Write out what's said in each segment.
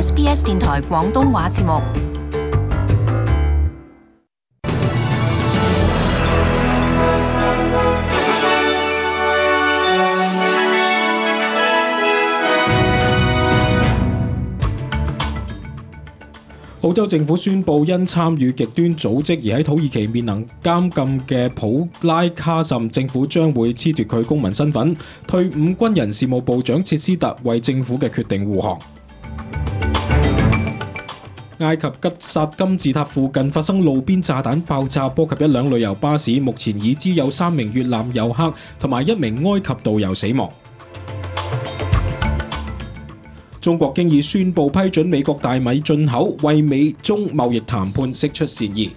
SBS 電台廣東話節目。澳洲政府宣布，因參與極端組織而喺土耳其面臨監禁嘅普拉卡什，政府將會褫奪佢公民身份。退伍軍人事務部長切斯特為政府嘅決定護航。埃及吉薩金字塔附近發生路邊炸彈爆炸，波及一輛旅遊巴士，目前已知有3名越南遊客同埋1名埃及導遊死亡。中國經已宣布批准美國大米進口，為美中貿易談判釋出善意。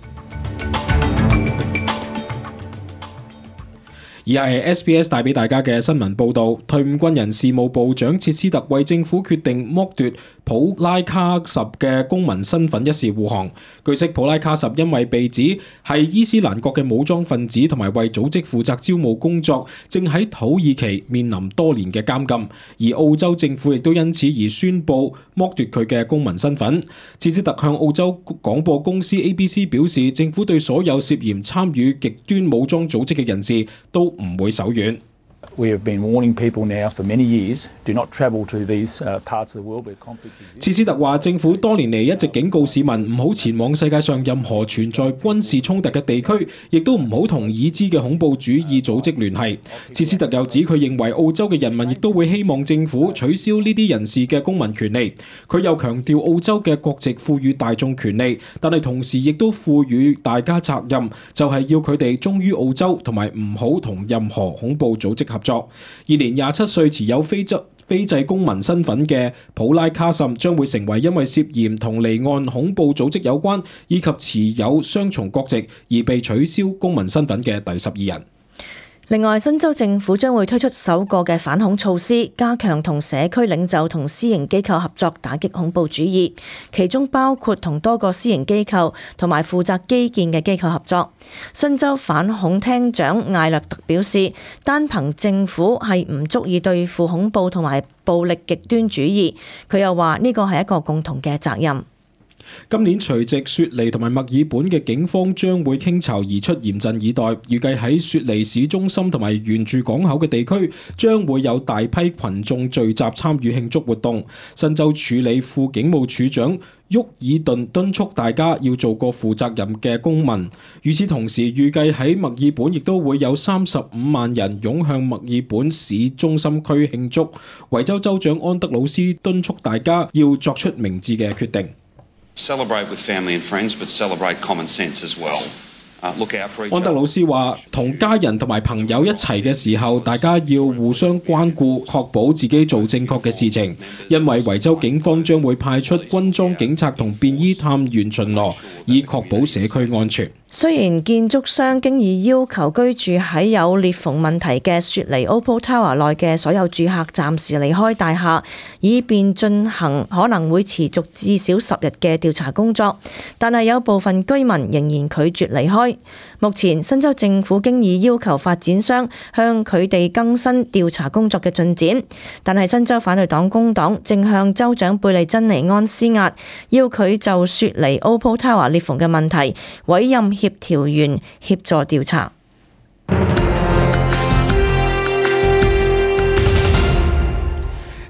以下係 SBS 帶俾大家嘅新聞報導。退伍軍人事務部長切斯特為政府決定剝奪普拉卡什嘅公民身份一事護航。據悉，普拉卡什因為被指係伊斯蘭國嘅武裝分子同埋為組織負責招募工作，正喺土耳其面臨多年嘅監禁，而澳洲政府亦都因此而宣布剝奪佢嘅公民身份。切斯特向澳洲廣播公司 ABC 表示，政府對所有涉嫌參與極端武裝組織嘅人士都唔會手軟。We have been warning people now for many years, do not travel to these parts of the world where conflict exists. 切斯特話，政府多年嚟一直警告市民唔好前往世界上任何存在軍事衝突嘅地區，亦都唔好同已知嘅恐怖主義組織聯繫。切斯特又指，佢認為澳洲嘅人民亦都會希望政府取消呢啲人士嘅公民權利。佢又強調，澳洲嘅國籍賦予大眾權利，但係同時亦都賦予大家責任，就係要佢哋忠於澳洲，同埋唔好同任何恐怖組織合作。現年27歲持有非制公民身份嘅普拉卡什將會成為因為涉嫌同離岸恐怖組織有關以及持有雙重國籍而被取消公民身份嘅第12人。另外，新州政府將會推出首個嘅反恐措施，加強同社區領袖同私營機構合作打擊恐怖主義，其中包括同多個私營機構同埋負責基建嘅機構合作。新州反恐廳長艾略特表示，單憑政府係唔足以對付恐怖同埋暴力極端主義。佢又話呢個係一個共同嘅責任。今年除夕，雪梨同埋墨爾本嘅警方將會傾巢而出，嚴陣以待。預計喺雪梨市中心同埋沿住港口嘅地區，將會有大批群眾聚集參與慶祝活動。新州處理副警務處長沃爾頓敦促大家要做個負責任嘅公民。與此同時，預計喺墨爾本亦都會有35萬人湧向墨爾本市中心區慶祝。維州州長安德魯斯敦促大家要作出明智嘅決定。Celebrate with family and friends, but celebrate common sense as well. Look out for each other. 安德魯斯話，同家人同埋朋友一齊嘅時候，大家要互相關顧，確保自己做正確嘅事情。因為維州警方將會派出軍裝警察同便衣探員巡邏，以確保社區安全。雖然建築商經已要求居住喺有裂縫問題嘅雪梨 Opal Tower 內嘅所有住客暫時離開大廈，以便進行可能會持續至少10日嘅調查工作，但係有部分居民仍然拒絕離開。目前新州政府經已要求發展商向佢哋更新調查工作嘅進展，但係新州反對黨工黨正向州長貝利珍尼安施壓，要佢就雪梨 Opal Tower 裂縫嘅問題委任協調員協助調查。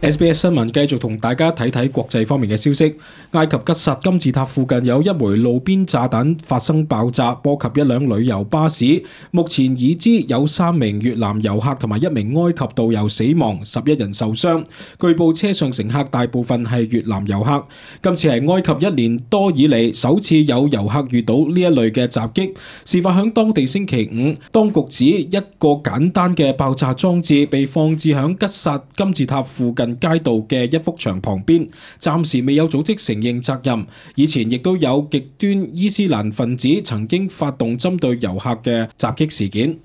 SBS 新聞繼續同大家睇睇國際方面嘅消息。埃及吉薩金字塔附近有一枚路邊炸彈發生爆炸，波及一輛旅遊巴士。目前已知有3名越南遊客同埋1名埃及導遊死亡，11人受傷。據報車上乘客大部分係越南遊客。今次係埃及1年多以嚟首次有遊客遇到呢一類嘅襲擊。事發響當地星期5，當局指一個簡單嘅爆炸裝置被放置響吉薩金字塔附近街道嘅一幅牆旁邊，暫時未有組織承認責任。以前亦都有極端伊斯蘭分子曾經發動針對遊客嘅襲擊事件。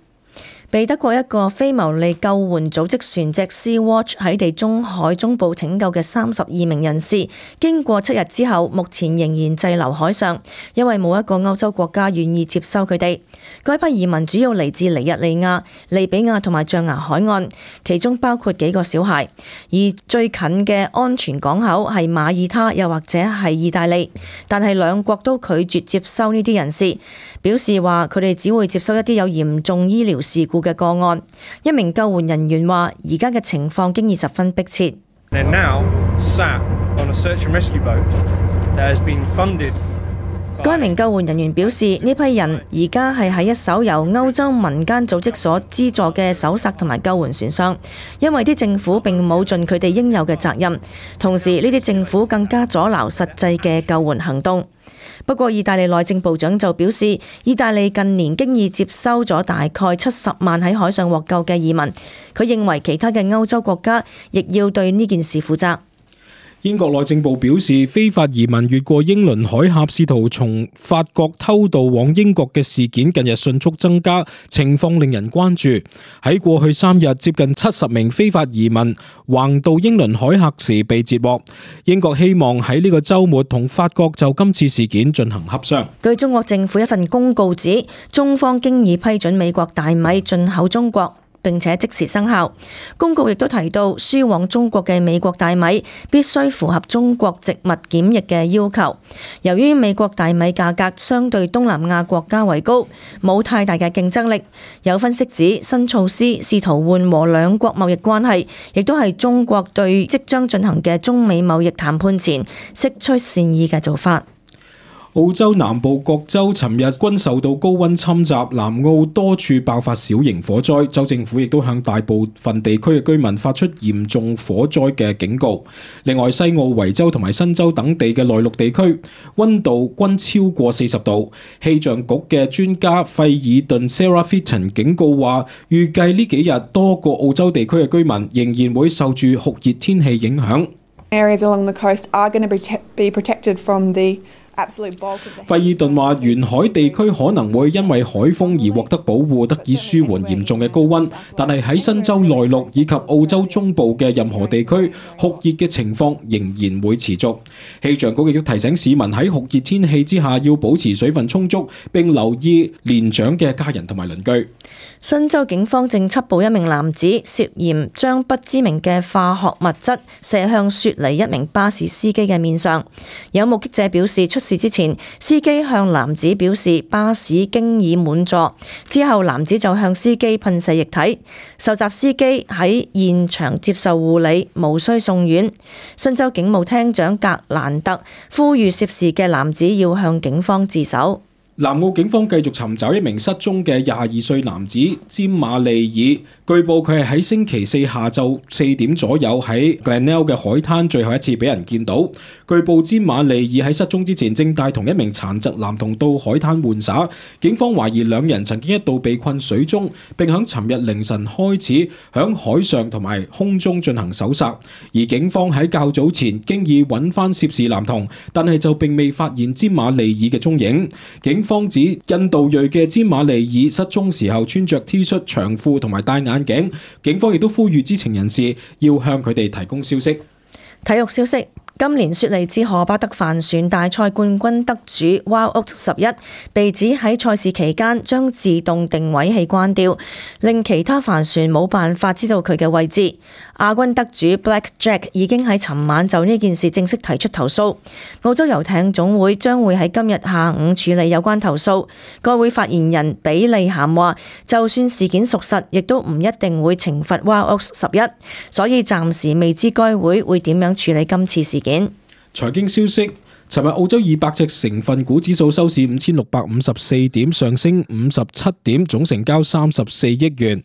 被德國一個非牟利救援組織船隻 Sea-Watch 喺地中海中部拯救嘅32名人士，經過7日之後，目前仍然滯留海上，因為冇一個歐洲國家願意接收佢哋。該批移民主要嚟自尼日利亞、利比亞同埋象牙海岸，其中包括幾個小孩。而最近嘅安全港口係馬耳他，又或者係意大利，但係兩國都拒絕接收呢啲人士，表示話佢哋只會接收一啲有嚴重醫療事故嘅個案。一名救援人員話：而家嘅情況經已十分迫切。該名救援人員表示，呢批人而家係喺一艘由歐洲民間組織所資助嘅搜索同埋救援船上，因為啲政府並冇盡佢哋應有嘅責任，同時呢啲政府更加阻撓實際嘅救援行動。不過，意大利內政部長就表示，意大利近年經已接收咗大概70萬喺海上獲救嘅移民。佢認為其他嘅歐洲國家亦要對呢件事負責。英國內政部表示，非法移民越過英倫海峽試圖從法國偷渡往英國嘅事件近日迅速增加，情況令人關注。喺過去3日，接近70名非法移民橫渡英倫海峽時被截獲。英國希望喺呢個週末同法國就今次事件進行協商。據中國政府一份公告指，中方經已批准美國大米進口中國，並且即時生效。公告亦都提到，輸往中國嘅美國大米必須符合中國植物檢疫嘅要求。由於美國大米價格相對東南亞國家為高，冇太大嘅競爭力。有分析指，新措施試圖緩和兩國貿易關係，亦都係中國對即將進行嘅中美貿易談判前釋出善意嘅做法。澳洲南部各州尋日均受到高溫侵襲，南澳多處爆發小型火災，州政府亦都向大部分地區嘅居民發出嚴重火災嘅警告。另外，西澳、維州同埋新州等地嘅內陸地區溫度均超過40度。氣象局嘅專家費爾頓 Sarah Fitton 警告話，預計呢幾日多個澳洲地區嘅居民仍然會受住酷熱天氣影響。Areas along the coast are going to be protected from the費爾頓話，沿海地區可能會因為海風而獲得保護，得以舒緩嚴重嘅高溫，但係喺新州內陸以及澳洲中部嘅任何地區，酷熱嘅情況仍然會持續。氣象局亦都提醒市民喺酷熱天氣之下要保持水分充足，並留意年長嘅家人同埋鄰居。新州警方正緝捕一名男子，涉嫌將不知名嘅化學物質射向雪梨一名巴士司機嘅面上。有目擊者表示，出事之前，司機向男子表示巴士經已滿座，之後男子就向司機噴射液體。受襲司機喺現場接受護理，無需送院。新州警務廳長格蘭特呼籲涉事嘅男子要向警方自首。南澳警方繼續尋找一名失蹤嘅22歲男子詹馬利爾，據報佢係喺星期四下晝4點左右喺 Glenelg 嘅海灘最後一次俾人見到。據報詹馬利爾喺失蹤之前正帶同一名殘疾男童到海灘玩耍，警方懷疑兩人曾經一度被困水中，並響尋日凌晨開始響海上同埋空中進行搜索。而警方喺較早前經已揾翻涉事男童，但係就並未發現詹馬利爾嘅蹤影。警方指印度裔嘅詹馬利爾失蹤時候穿着 T 恤長褲同埋戴眼鏡，警方亦都呼籲知情人士要向佢哋提供消息。體育消息。今年雪梨至荷巴德帆船大賽冠軍得主 Wild Oats 11被指喺賽事期間將自動定位器關掉，令其他帆船冇辦法知道佢嘅位置。亞軍得主 Black Jack 已經喺尋晚就呢件事正式提出投訴。澳洲遊艇總會將會喺今日下午處理有關投訴。該會發言人比利咸話，就算事件屬實，亦都唔一定會懲罰 Wild Oats 11，所以暫時未知該會點樣處理今次事件。財經消息，尋日澳洲200隻成分股指數收市5654點，上升57點，總成交34億元。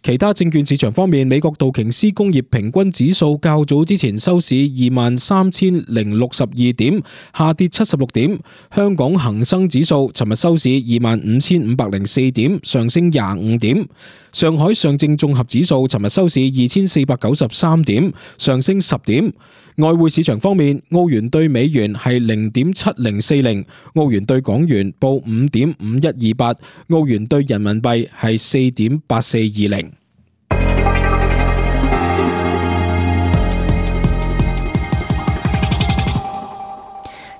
其他證券市場方面，美國道瓊斯工業平均指數較早之前收市23,062點，下跌76點。香港恒生指數尋日收市25,504點，上升25點。上海上證綜合指數尋日收市2493點，上升10點。外匯市場方面，澳元對美元係0.7040，澳元對港元報5.5128，澳元對人民幣係4.8420。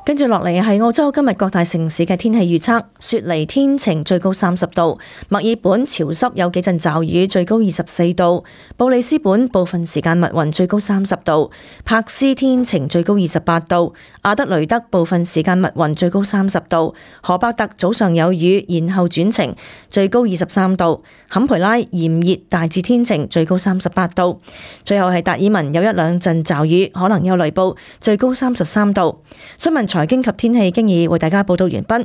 跟住落嚟係澳洲今日各大城市嘅天氣預測：雪梨天晴，最高30度；墨爾本潮濕有幾陣驟雨，最高24度；布里斯本部分時間密雲，最高30度；柏斯天晴，最高28度；阿德雷德部分時間密雲，最高30度；荷伯特早上有雨，然後轉晴，最高23度；坎培拉炎熱，大致天晴，最高38度；最後係達爾文有一兩陣驟雨，可能有雷暴，最高33度。新聞財經及天氣經已為大家報道完畢。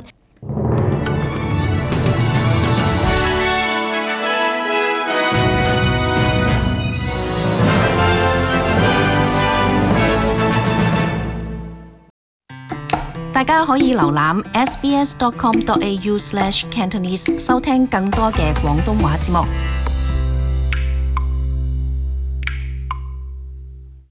大家可以瀏覽 sbs.com.au/cantonese 收聽更多嘅廣東話節目。